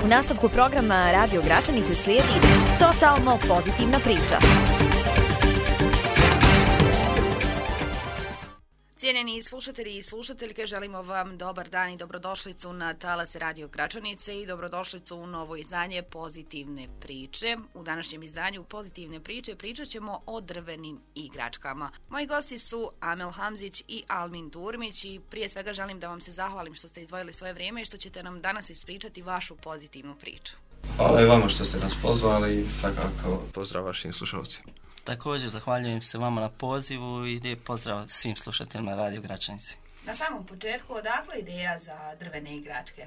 U nastavku programa Radio Gračanice slijedi totalno pozitivna priča. Cijenjeni slušatelji i slušateljke, želimo vam dobar dan i dobrodošlicu na talase Radio Gračanice i dobrodošlicu u novo izdanje Pozitivne priče. U današnjem izdanju Pozitivne priče pričat ćemo o drvenim igračkama. Moji gosti su Amel Hamzić i Almin Durmić i prije svega želim da vam se zahvalim što ste izdvojili svoje vrijeme i što ćete nam danas ispričati vašu pozitivnu priču. Hvala i vama što ste nas pozvali i svakako pozdrav vašim slušalcima. Također zahvaljujem se vama na pozivu i lijep pozdrav svim slušateljima Radio Gračanice. Na samom početku, odakle ideja za drvene igračke?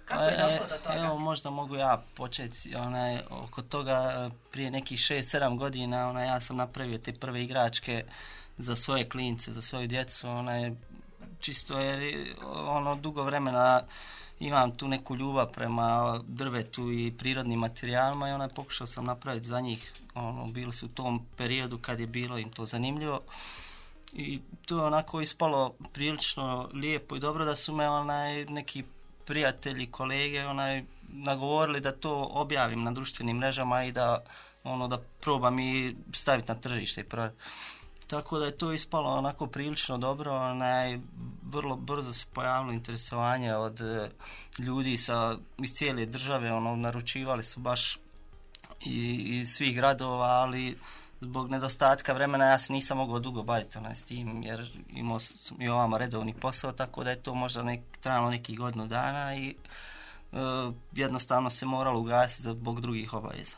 Kako je došlo do toga? Evo, možda mogu ja početi oko toga. Prije nekih 6-7 godina ja sam napravio te prve igračke za svoje klince, za svoju djecu. Čisto jer dugo vremena imam tu neku ljubav prema drvetu i prirodnim materijalima i pokušao sam napraviti za njih. Bili su u tom periodu kad je bilo im to zanimljivo i to je onako ispalo prilično lijepo i dobro da su me neki prijatelji, kolege nagovorili da to objavim na društvenim mrežama i da probam i staviti na tržište i prodati. Tako da je to ispalo onako prilično dobro, vrlo brzo se pojavilo interesovanje od ljudi iz cijele države, naručivali su baš iz svih gradova, ali zbog nedostatka vremena ja se nisam mogao dugo baviti s tim, jer imao sam i ovamo redovni posao, tako da je to možda trajalo nekih godinu dana i jednostavno se moralo ugasiti zbog drugih obaveza.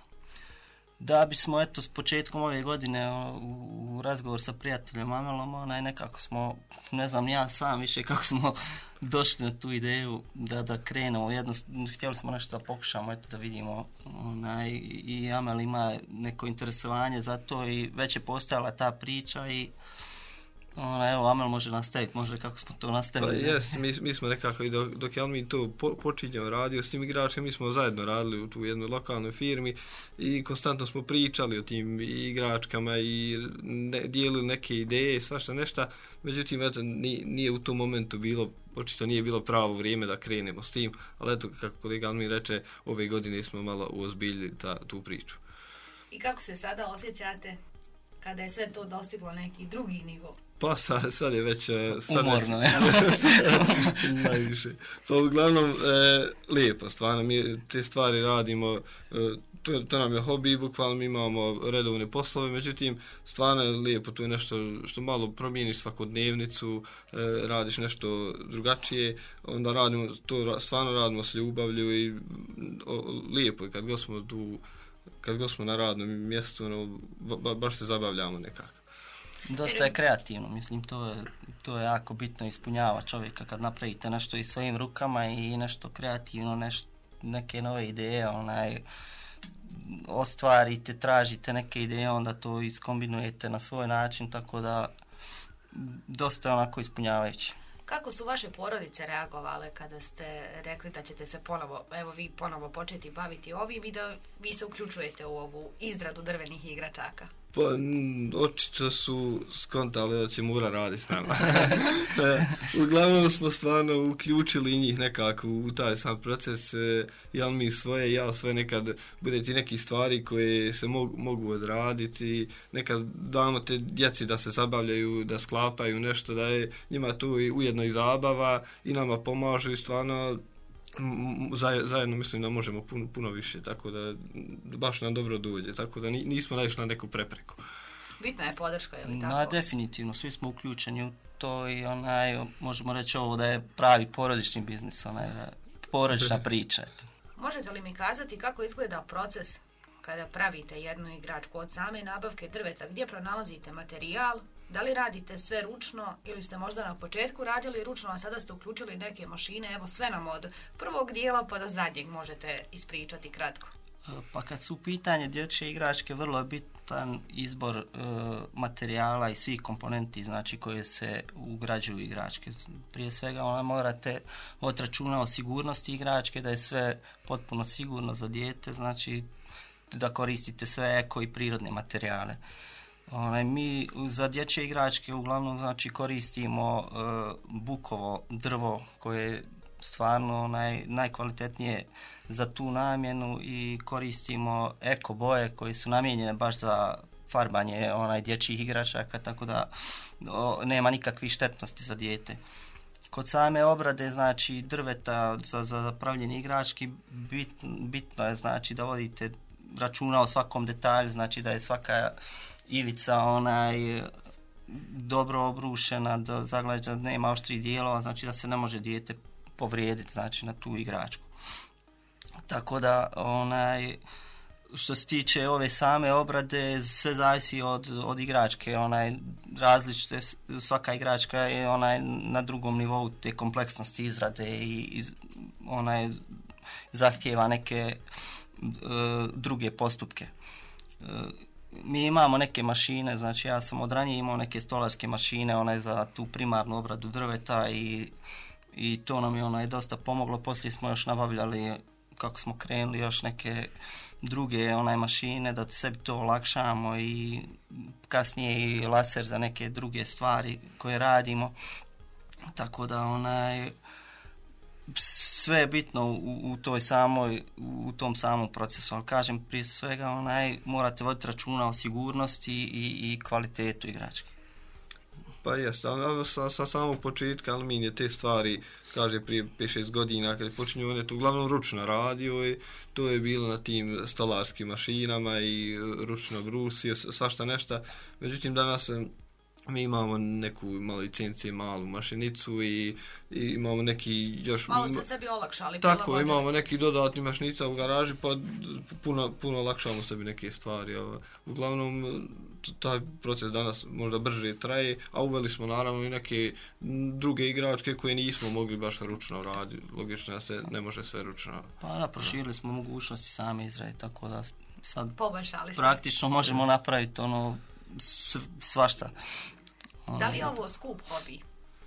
Da bismo s početkom ove godine u razgovor sa prijateljem Amelom, nekako smo, ne znam ja sam više kako smo došli na tu ideju da krenemo. Htjeli smo nešto da pokušamo, da vidimo i Amel ima neko interesovanje za to i već je postojala ta priča i evo, Amel može nastaviti, možda kako smo to nastavili. Pa mi smo nekako i dok je Almin to počinjao radio s tim igračima, mi smo zajedno radili u tu jednoj lokalnoj firmi i konstantno smo pričali o tim igračkama i dijelili neke ideje i svašta nešto, međutim, nije u tom momentu bilo, očito nije bilo pravo vrijeme da krenemo s tim, ali eto, kako kolega Almin reče, ove godine smo malo uozbiljili tu priču. I kako se sada osjećate kada je sve to dostiglo neki drugi nivo? Pa sad je već... Umorno je. Najviše. Pa uglavnom, lijepo, stvarno, mi te stvari radimo, to nam je hobi, bukvalno mi imamo redovne poslove, međutim, stvarno je lijepo, to je nešto što malo promijeniš svakodnevnicu, radiš nešto drugačije, onda stvarno radimo s ljubavlju i lijepo je kad god smo na radnom mjestu, baš se zabavljamo nekako. Dosta je kreativno, mislim, to je jako bitno, ispunjava čovjeka kad napravite nešto i svojim rukama i nešto kreativno, neke nove ideje, ostvarite, tražite neke ideje, onda to iskombinujete na svoj način, tako da dosta je onako ispunjavajuće. Kako su vaše porodice reagovale kada ste rekli da ćete se ponovo početi baviti ovim i da vi se uključujete u ovu izradu drvenih igračaka? Pa, očito su skontali da će Mura raditi s nama. Uglavnom smo stvarno uključili njih nekako u taj sam proces, jel mi svoje, ja svoje, nekad bude ti neki stvari koje se mogu odraditi, nekad damo te djeci da se zabavljaju, da sklapaju nešto, da je njima tu ujedno i zabava i nama pomažu i stvarno zajedno mislim da možemo puno više, tako da baš nam dobro dođe, tako da nismo naišli na neku prepreku. Bitna je podrška, je li tako? Definitivno, svi smo uključeni u to i možemo reći ovo da je pravi porodični biznis, porodična priča. Možete li mi kazati kako izgleda proces kada pravite jednu igračku od same nabavke drveta, gdje pronalazite materijal? Da li radite sve ručno ili ste možda na početku radili ručno, a sada ste uključili neke mašine? Evo, sve nam od prvog dijela pa do zadnjeg možete ispričati kratko. Pa kad su u pitanje dječje igračke, vrlo je bitan izbor materijala i svih komponenti, znači koje se ugrađuju u igračke. Prije svega morate voditi računa o sigurnosti igračke, da je sve potpuno sigurno za dijete, znači da koristite sve eko i prirodne materijale. Mi za dječje igračke uglavnom koristimo bukovo drvo koje stvarno najkvalitetnije za tu namjenu i koristimo eko boje koje su namijenjene baš za farbanje dječjih igračaka, tako da nema nikakvih štetnosti za dijete. Kod same obrade, znači drveta za pravljenje igrački, bitno je znači da vodite računa o svakom detalju, znači da je svaka ivica dobro obrušena, da zaglađa, nema oštrih dijelova, znači da se ne može dijete povrijediti znači na tu igračku. Tako da što se tiče ove same obrade, sve zavisi od igračke, različite, svaka igračka je na drugom nivou te kompleksnosti izrade i zahtijeva neke druge postupke. Mi imamo neke mašine, znači ja sam od ranije imao neke stolarske mašine za tu primarnu obradu drveta i to nam je dosta pomoglo. Poslije smo još nabavljali, kako smo krenuli, još neke druge mašine da sebi to olakšamo i kasnije i laser za neke druge stvari koje radimo. Tako da sve je bitno u tom samom procesu, ali kažem prije svega morate voditi računa o sigurnosti i kvalitetu igračke. Pa jeste, ali sa samog početka Aluminije te stvari, kaže prije 5-6 godina kad je počinio, on je to uglavnom ručno radio i to je bilo na tim stolarskim mašinama i ručno brusio, svašta nešto. Međutim, danas mi imamo neku malo licencije, malu mašinicu i imamo neki još... Malo ste sebi olakšali. Tako, imamo neki dodatni mašinica u garaži, pa puno olakšamo sebi neke stvari. Uglavnom, taj proces danas možda brže traje, a uveli smo naravno i neke druge igračke koje nismo mogli baš ručno raditi. Logično da se ne može sve ručno. Pa da, proširili smo mogućnosti same izrade, tako da sad poboljšali praktično možemo napraviti svašta. Da li je ovo skup hobi?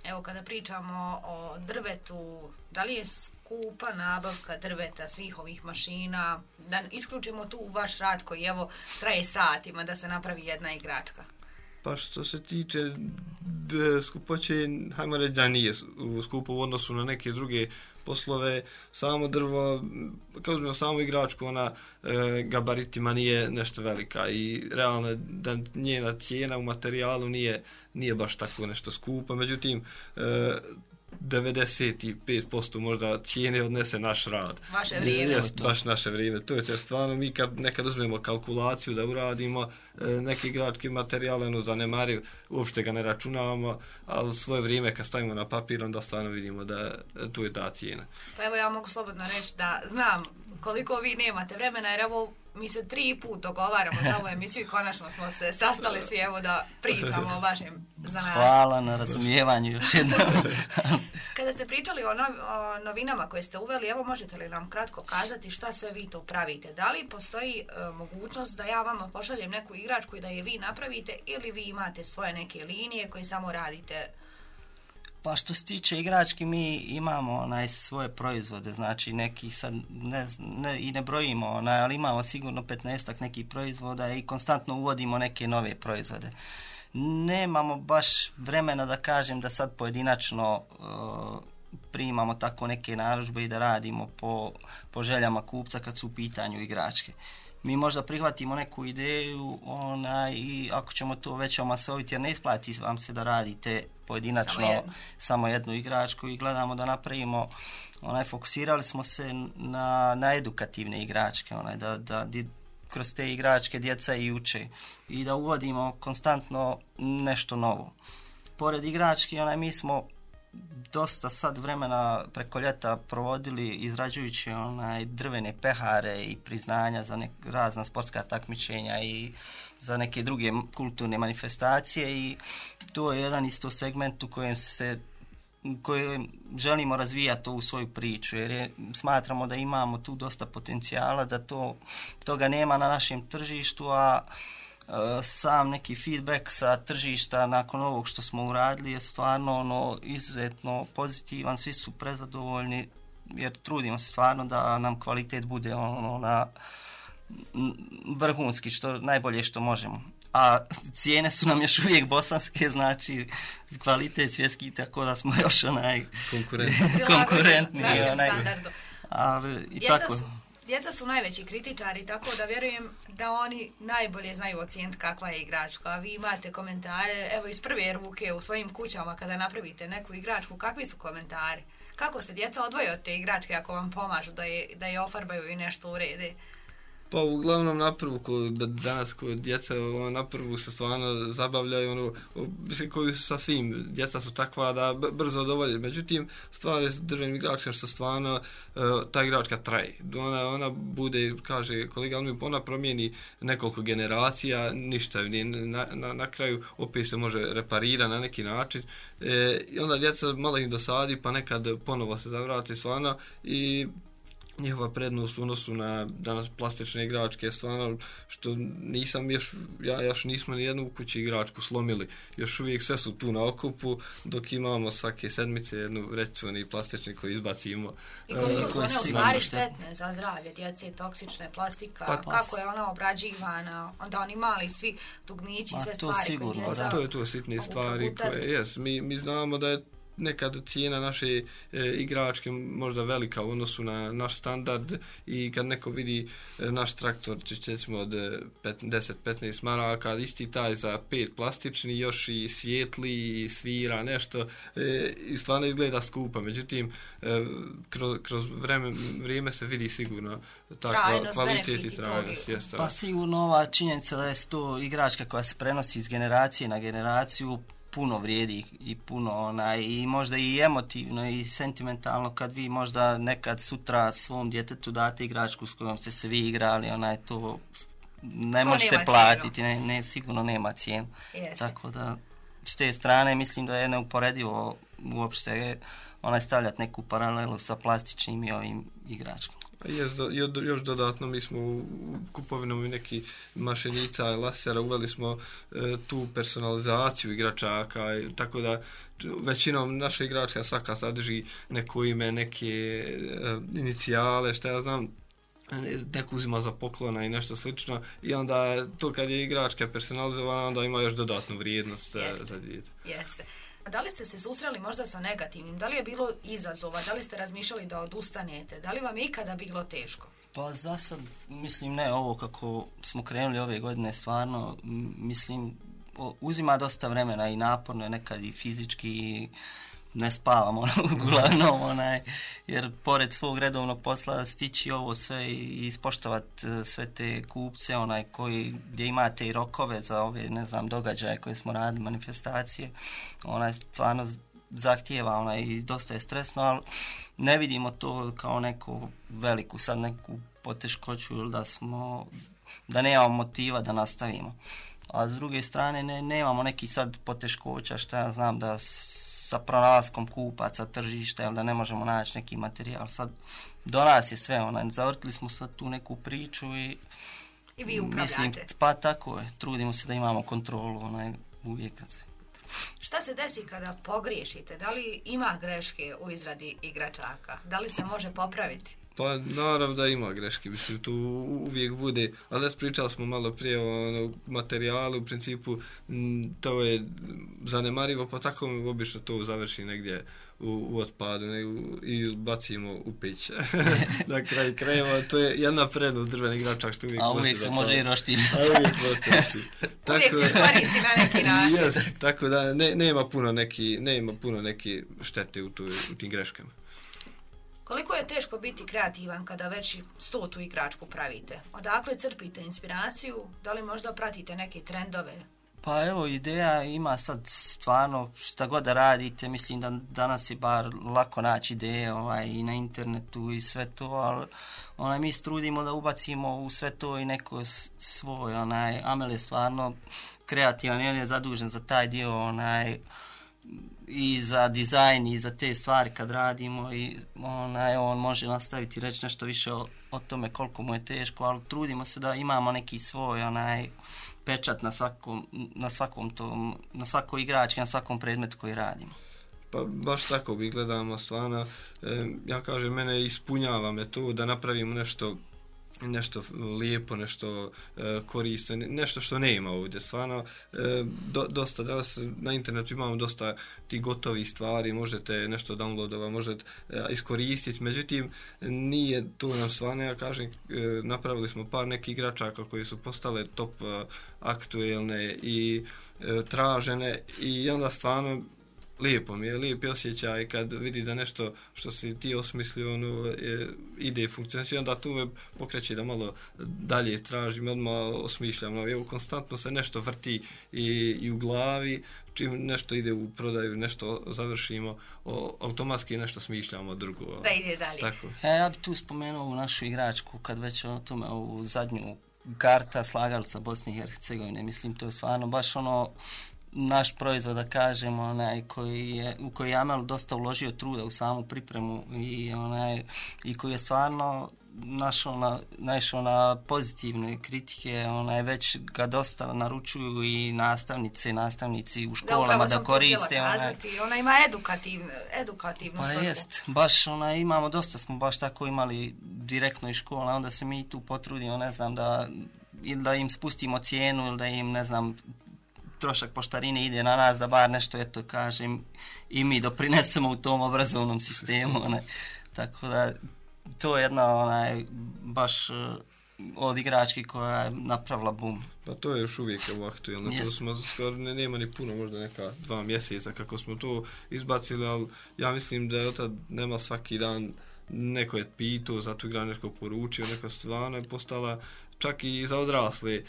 Evo kada pričamo o drvetu, da li je skupa nabavka drveta svih ovih mašina? Da isključimo tu vaš rad koji evo traje satima da se napravi jedna igračka. Pa što se tiče skupoće, hajmo reći da nije skupo u odnosu na neke druge poslove. Samo drvo, kao uzmemo samu igračku, ona gabaritima nije nešto velika i realno da njena cijena u materijalu nije baš tako nešto skupa. Međutim, 95% možda cijene odnese naš rad. Vaše vrijeme. Baš naše vrijeme. To je stvarno, mi kad nekad uzmemo kalkulaciju da uradimo neki igrački materijal, zanemariv, uopšte ga ne računavamo, ali svoje vrijeme kad stavimo na papir, onda stvarno vidimo da tu je ta cijena. Pa evo ja mogu slobodno reći da znam koliko vi nemate vremena, jer evo mi se 3 put dogovaramo za ovu emisiju i konačno smo se sastali svi evo da pričamo o vašem zanatu. Hvala na razumijevanju još jednom. Kada ste pričali o novinama koje ste uveli, evo možete li nam kratko kazati šta sve vi to pravite? Da li postoji mogućnost da ja vama pošaljem neku igračku i da je vi napravite ili vi imate svoje neke linije koje samo radite? Pa što se tiče igrački, mi imamo svoje proizvode, znači neki sad ne brojimo, ali imamo sigurno 15-ak nekih proizvoda i konstantno uvodimo neke nove proizvode. Nemamo baš vremena da kažem da sad pojedinačno primamo tako neke narudžbe i da radimo po željama kupca kad su u pitanju igračke. Mi možda prihvatimo neku ideju i ako ćemo to već omasoviti, jer ne isplati vam se da radite pojedinačno samo jednu igračku i gledamo da napravimo, fokusirali smo se na edukativne igračke, da kroz te igračke djeca i uče i da uvodimo konstantno nešto novo. Pored igrački, mi smo dosta sad vremena preko ljeta provodili izrađujući drvene pehare i priznanja za razna sportska takmičenja i za neke druge kulturne manifestacije i to je jedan isto segment u kojem želimo razvijati ovu svoju priču jer smatramo da imamo tu dosta potencijala, da toga nema na našem tržištu, a sam neki feedback sa tržišta nakon ovog što smo uradili je stvarno izuzetno pozitivan, svi su prezadovoljni jer trudimo se stvarno da nam kvalitet bude na vrhunski, najbolje što možemo. a cijene su nam još uvijek bosanske, znači kvalitet svjetski, tako da smo još konkurentni. Našem standardu. Ali i tako. Djeca su najveći kritičari, tako da vjerujem da oni najbolje znaju ocijeniti kakva je igračka. A vi imate komentare, evo iz prve ruke u svojim kućama kada napravite neku igračku, kakvi su komentari? Kako se djeca odvoje od te igračke ako vam pomažu da je ofarbaju i nešto urede? Pa uglavnom naprvu, danas kod djeca naprvu se stvarno zabavljaju, koji su sa svim, djeca su takva da brzo dovolje. Međutim, stvari s drvenim igračkama što stvarno ta igračka traje. Ona bude, kaže kolega, ona promijeni nekoliko generacija, ništa, na kraju opet se može reparira na neki način. I onda djeca malo im dosadi, pa nekad ponovo se zavrati stvarno i njihova prednost u odnosu na danas plastične igračke, stvarno, što još nismo ni jednu u kući igračku slomili. Još uvijek sve su tu na okupu, dok imamo svake sedmice jednu recimo plastični koji izbacimo. I koliko su one u stvari štetne za zdravlje djece, toksične, plastika, kako je ona obrađivana, onda oni mali svi dugmići, sve stvari koje djeca... To je to sitne stvari koje, mi znamo da je nekad cijena naše igračke možda velika u odnosu na naš standard i kad neko vidi naš traktor, ćemo od 10-15 maraka, isti taj za 5 plastični, još i svijetli, i svira nešto, i stvarno izgleda skupa. Međutim, kroz vrijeme se vidi sigurno takva kvalitet i trajnost. Pa sigurno ova činjenica da je to igračka koja se prenosi iz generacije na generaciju, puno vrijedi i puno i možda i emotivno i sentimentalno kad vi možda nekad sutra svom djetetu date igračku s kojom ste se vi igrali, to ne možete platiti, sigurno nema cijenu. Tako da s te strane mislim da je neuporedivo uopšte stavljati neku paralelu sa plastičnim i ovim igračkom. Još dodatno mi smo u kupovinom neki mašenica, lasera, uveli smo tu personalizaciju igračaka, tako da većinom naša igračka svaka sadrži neko ime, neke inicijale, šta ja znam, neko uzima za poklona i nešto slično i onda to kad je igračka personalizovana onda ima još dodatnu vrijednost za dijete. Jeste. Da li ste se susreli možda sa negativnim? Da li je bilo izazova? Da li ste razmišljali da odustanete? Da li vam je ikada bilo teško? Pa za sad, mislim, ne, ovo kako smo krenuli ove godine, stvarno, mislim, uzima dosta vremena i naporno je nekad i fizički i ne spavamo uglavnom, jer pored svog redovnog posla stići ovo sve i ispoštovati sve te kupce, gdje imate i rokove za ove, događaje koje smo radili, manifestacije, stvarno zahtijeva i dosta je stresno, ali ne vidimo to kao neku veliku, sad neku poteškoću ili da nemamo motiva da nastavimo. A s druge strane nemamo neki sad poteškoća, šta ja znam da sa pronalaskom kupaca, tržišta, ili da ne možemo naći neki materijal. Sad do nas je sve, zavrtili smo sad tu neku priču i vi upravljate. Pa tako je, trudimo se da imamo kontrolu, uvijek. Šta se desi kada pogriješite? Da li ima greške u izradi igračaka? Da li se može popraviti? Pa naravno da ima greške, mislim, tu uvijek bude, ali pričali smo malo prije o materijalu, u principu to je zanemarivo, pa tako obično to završi negdje u otpadu i bacimo u peć. Na kraju krajeva, to je jedna prednost drveni igračak što uvijek... A uvijek se može i roštiti. Uvijek se skoristi na neki način. Tako da nema puno neki štete u tim greškama. Koliko je teško biti kreativan kada već 100 igračku pravite? Odakle crpite inspiraciju? Da li možda pratite neke trendove? Pa evo, ideja ima sad stvarno šta god da radite, mislim da danas je bar lako naći ideje i na internetu i sve to, ali mi se trudimo da ubacimo u sve to i neko svoj, Amel je stvarno kreativan i on je zadužen za taj dio, i za dizajn i za te stvari kad radimo i on može nastaviti reći nešto više o tome koliko mu je teško, ali trudimo se da imamo neki svoj pečat na svakoj igrački, na svakom predmetu koji radimo. Pa baš tako bi gledamo stvarno, ja kažem, mene ispunjava me to da napravimo nešto nešto lijepo, nešto korisno, nešto što nema ovdje. Stvarno, dosta, danas na internetu imamo dosta tih gotovih stvari, možete nešto downloadova, možete iskoristiti, međutim, nije to nam stvarno, ja kažem, napravili smo par nekih igračaka koji su postale top aktuelne i tražene i onda stvarno lijepo mi je, lijepi osjećaj kad vidi da nešto što si ti osmislio ide i funkcionira, onda tu me pokreće da malo dalje tražim, odmah osmišljam. Evo, konstantno se nešto vrti i u glavi, čim nešto ide u prodaju, nešto završimo, automatski nešto smišljamo drugo. Da ide dalje. Tako. Ja bih tu spomenuo u našu igračku, kad već o tome, ovu zadnju karta slagalica Bosne i Hercegovine, mislim, to je stvarno baš naš proizvod, da kažemo, u koji je Amel dosta uložio truda u samu pripremu i koji je stvarno naišao na pozitivne kritike, već ga dosta naručuju i nastavnici u školama da koriste. Ona ima edukativnu svrhu. Pa jest, baš imamo dosta, smo baš tako imali direktno iz škola, onda se mi tu potrudimo, ne znam, da im spustimo cijenu ili da im, ne znam, trošak poštarine ide na nas, da bar nešto, eto, kažem, i mi doprinesemo u tom obrazovnom sistemu. Tako da, to je jedna baš od igrački koja je napravila boom. Pa to je još uvijek aktuelno. Yes. To smo skoro, nema ni puno, možda neka 2 mjeseca kako smo to izbacili, ali ja mislim da je od tad nema svaki dan neko je pitao, zato igra neko poručio, neko stvarno je postala čak i za odrasle.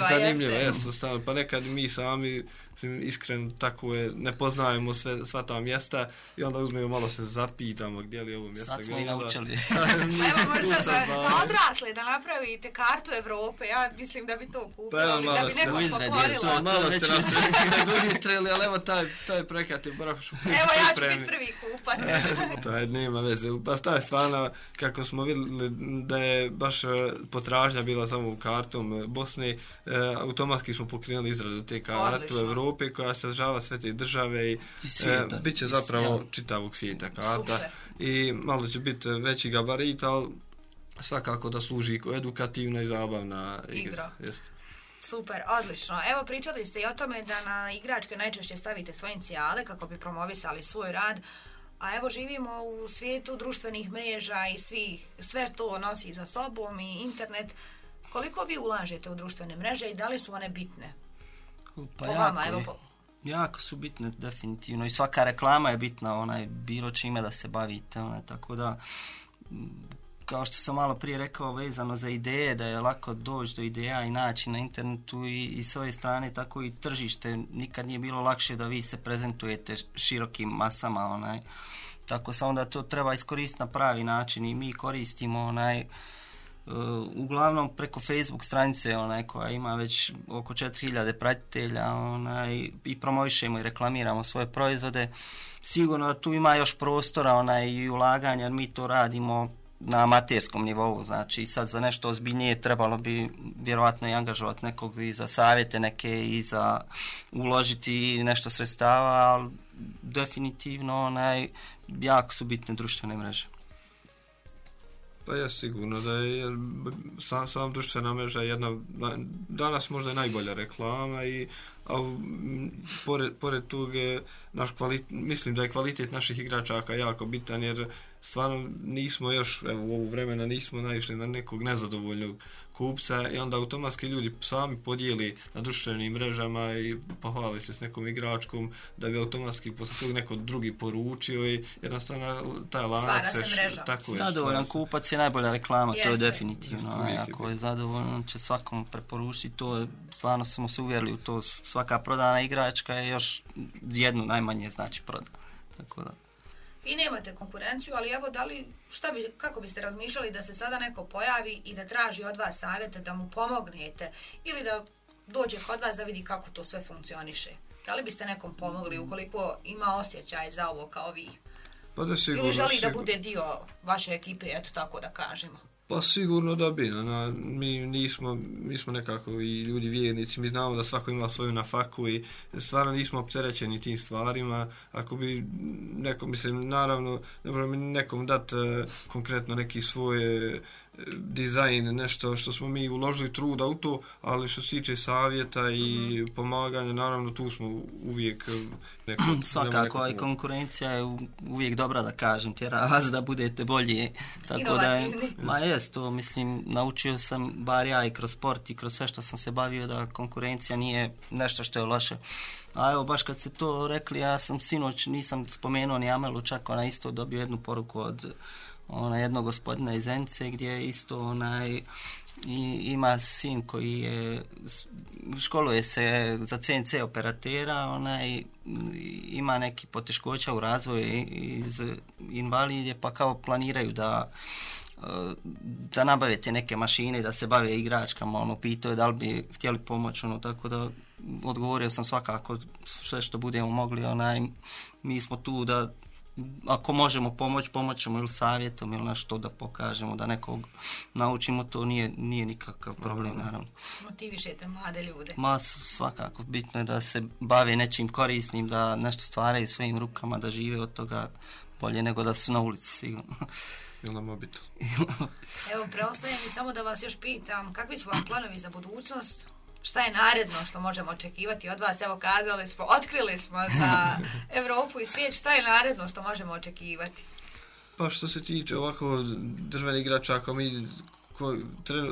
Zanimljiva jeste. Pa nekad mi sami, iskreno, tako je, ne poznajemo sva ta mjesta i onda uzmemo malo se zapitamo gdje li je ovo mjesto. Sad smo i naučili. Evo možda za odrasle da napravite kartu Evrope, ja mislim da bi to kupili, da bi neko pokorilo. Malo ste napravili, ali evo taj projekat je baš pripremi. Evo ja ću biti prvi kupac. Taj nema veze. Pa taj stvarno, kako smo vidjeli da je baš potražnja bila za ovom kartom Bosne, automatski smo pokrenuli izradu te karte u Evrope koja sadržava sve te države i bit će zapravo čitavog svijeta karta. Super. I malo će biti veći gabarit, ali svakako da služi edukativna i zabavna igra. Super, odlično. Evo, pričali ste i o tome da na igračke najčešće stavite svoje inicijale kako bi promovisali svoj rad, a evo živimo u svijetu društvenih mreža i sve to nosi za sobom i internet. Koliko vi ulažete u društvene mreže i da li su one bitne? Pa jako su bitne, definitivno. I svaka reklama je bitna, bilo čime da se bavite, tako da, kao što sam malo prije rekao, vezano za ideje, da je lako doći do ideja i naći na internetu i s ove strane, tako i tržište. Nikad nije bilo lakše da vi se prezentujete širokim masama, tako se onda to treba iskoristiti na pravi način i mi koristimo uglavnom preko Facebook stranice koja ima već oko 4000 pratitelja i promovišemo i reklamiramo svoje proizvode. Sigurno da tu ima još prostora i ulaganja, jer mi to radimo na amaterskom nivou, znači sad za nešto ozbiljnije trebalo bi vjerovatno i angažovati nekog i za savjete neke i za uložiti nešto sredstava, ali definitivno jako su bitne društvene mreže. Pa je sigurno da je sam društvena mreža jedna, danas možda je najbolja reklama a pored toga mislim da je kvalitet naših igračaka jako bitan, jer stvarno nismo još, evo u ovu vremena nismo naišli na nekog nezadovoljnog kupca i onda automatski ljudi sami podijeli na društvenim mrežama i pohvali se s nekom igračkom da bi automatski posle toga neko drugi poručio i jednostavno taj lanac se tako je. Zadovoljan kupac je najbolja reklama, to je definitivno. Ako je zadovoljan, će svakom preporučiti, to je, stvarno smo se uvjerili u to, svaka prodana igračka je još jednu najmanje znači proda. Tako da. I nemate konkurenciju, ali evo kako biste razmišljali da se sada neko pojavi i da traži od vas savjete da mu pomognete ili da dođe kod vas da vidi kako to sve funkcioniše? Da li biste nekom pomogli ukoliko ima osjećaj za ovo kao vi? Pa da sigurno, ili želi da bude dio vaše ekipe, eto tako da kažemo? Pa sigurno da bi. Mi smo nekako i ljudi vjernici, mi znamo da svako ima svoju nafaku i stvarno nismo opterećeni tim stvarima. Ako bi nekom, mislim, naravno, ne možemo nekom dati konkretno neki svoj dizajn, nešto što smo mi uložili truda u to, ali što se tiče savjeta i pomaganja, naravno tu smo uvijek svakako, i konkurencija je uvijek dobra, da kažem, tjera vas da budete bolji, tako da jest to, mislim, naučio sam, bar ja i kroz sport i kroz sve što sam se bavio, da konkurencija nije nešto što je loše. A evo, baš kad ste to rekli, ja sam sinoć, nisam spomenuo ni Amelu, čak ona isto dobio jednu poruku od jednog gospodina iz Zenice, gdje isto ima sin koji je, školuje se za CNC operatera, ima neki poteškoća u razvoju iz invalidije, pa kao planiraju da nabave te neke mašine i da se bave igračkama, pitao je da li bi htjeli pomoći, tako da odgovorio sam svakako sve što budemo mogli, mi smo tu da ako možemo pomoćemo ili savjetom ili nešto da pokažemo, da nekog naučimo, to nije nikakav problem, naravno. Motivišete mlade ljude. Svakako, bitno je da se bave nečim korisnim, da nešto stvaraju svojim rukama, da žive od toga bolje nego da su na ulici, sigurno. Ili na mobitel. Evo, preostaje mi samo da vas još pitam, kakvi su vam planovi za budućnost? Šta je naredno što možemo očekivati od vas? Evo, otkrili smo za Evropu i svijet. Šta je naredno što možemo očekivati? Pa što se tiče ovako drvenih igračaka, mi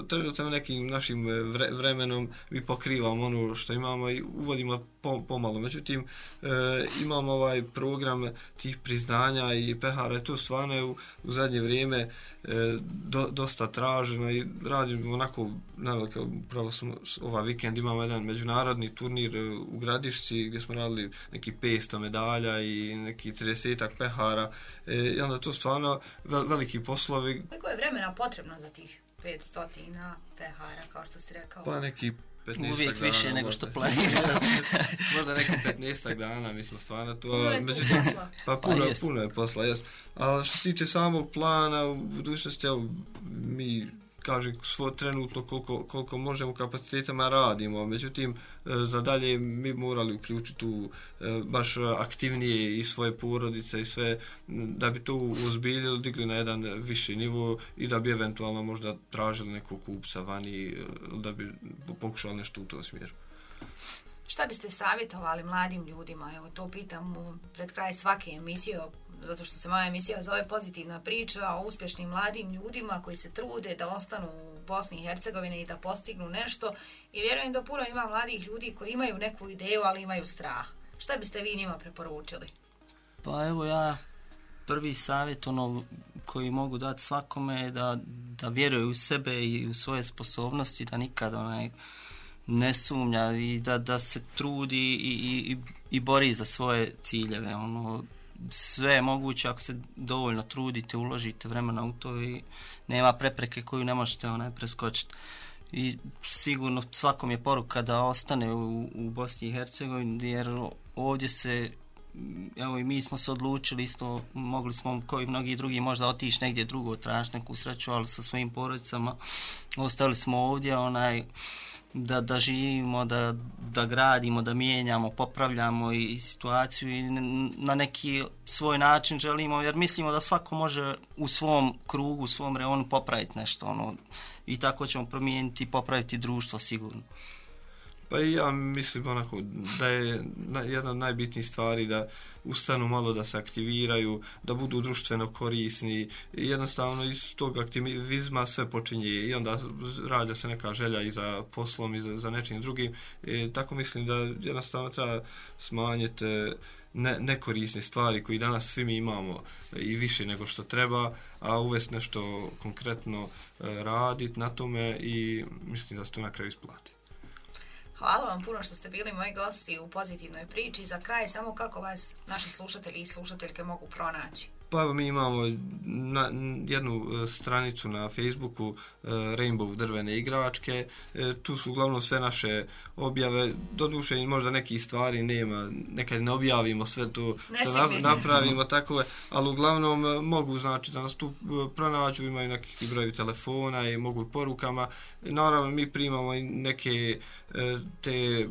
trenutno nekim našim vremenom mi pokrivamo ono što imamo i uvodimo pomalo. Međutim, imamo ovaj program tih priznanja i pehara, to stvarno je u zadnje vrijeme dosta traženo i radimo onako naveliko, upravo smo ovaj vikend imamo jedan međunarodni turnir u Gradišci gdje smo radili neki 500 medalja i neki 30-ak pehara i onda to stvarno veliki poslovi. Koliko je vremena potrebno za tih 500 pehara, kao što si rekao? Pa neki 15 uvijek dana, više nego što planira. Možda neki 15 dana, mi smo stvarno to... Puno je tu posla. Pa puno je posla, jes. A što se tiče samog plana, u budućnosti, mi kažem trenutno koliko možemo kapacitetima radimo, međutim za dalje mi morali uključiti tu baš aktivnije i svoje porodice i sve da bi to uzbiljili, digli na jedan viši nivo i da bi eventualno možda tražili nekog kupca vani, da bi pokušali nešto u tom smjeru. Šta biste savjetovali mladim ljudima? Evo, to pitam pred kraj svake emisije, zato što se moja emisija zove Pozitivna priča o uspješnim mladim ljudima koji se trude da ostanu u Bosni i Hercegovini i da postignu nešto. I vjerujem da puno ima mladih ljudi koji imaju neku ideju, ali imaju strah. Šta biste vi njima preporučili? Pa evo, ja prvi savjet koji mogu dati svakome je da vjeruje u sebe i u svoje sposobnosti, da nikad ne sumnja i da se trudi i bori za svoje ciljeve. Sve je moguće ako se dovoljno trudite, uložite vremena u to i nema prepreke koju ne možete preskočiti. I sigurno svakom je poruka da ostane u Bosni i Hercegovini, jer ovdje evo i mi smo se odlučili isto, mogli smo kao i mnogi drugi možda otići negdje drugo, tražiti neku sreću, ali sa svojim porodicama ostali smo ovdje, da živimo, da gradimo, da mijenjamo, popravljamo i situaciju i na neki svoj način želimo, jer mislimo da svako može u svom krugu, u svom reonu popraviti nešto, i tako ćemo promijeniti i popraviti društvo sigurno. Pa i ja mislim da je jedna od najbitnijih stvari da ustanu malo, da se aktiviraju, da budu društveno korisni i jednostavno iz tog aktivizma sve počinje i onda rađa se neka želja i za poslom i za nečim drugim. Tako mislim da jednostavno treba smanjiti nekorisne stvari koji danas svi mi imamo i više nego što treba, a uvesti nešto konkretno raditi na tome i mislim da se to na kraju isplati. Hvala vam puno što ste bili moji gosti u Pozitivnoj priči. Za kraj, samo kako vas naši slušatelji i slušateljke mogu pronaći? Pa mi imamo jednu stranicu na Facebooku Rainbow drvene igračke. Tu su uglavnom sve naše objave. Doduše možda nekih stvari nema, nekad ne objavimo sve to što napravimo tako, ali uglavnom mogu da nas tu pronađu, imaju neki broj telefona i mogu porukama. Naravno mi primamo i neke te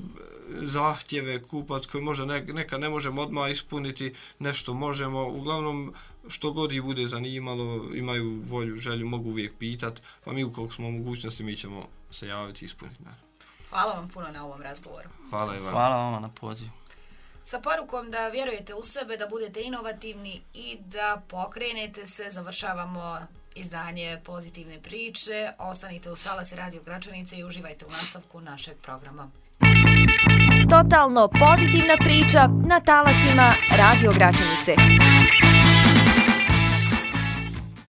zahtjeve kupac koje možda nekad ne možemo odmah ispuniti, nešto možemo. Uglavnom što god ih bude zanimalo, imaju volju, želju, mogu uvijek pitat, pa mi ukoliko smo mogućnosti mi ćemo se javiti i ispuniti. Hvala vam puno na ovom razgovoru. Hvala i vam. Hvala vama na pozivu. Sa porukom da vjerujete u sebe, da budete inovativni i da pokrenete se, završavamo izdanje Pozitivne priče. Ostanite uz talase Radio Gračanice i uživajte u nastavku našeg programa. Totalno pozitivna priča na talasima Radio Gračanice.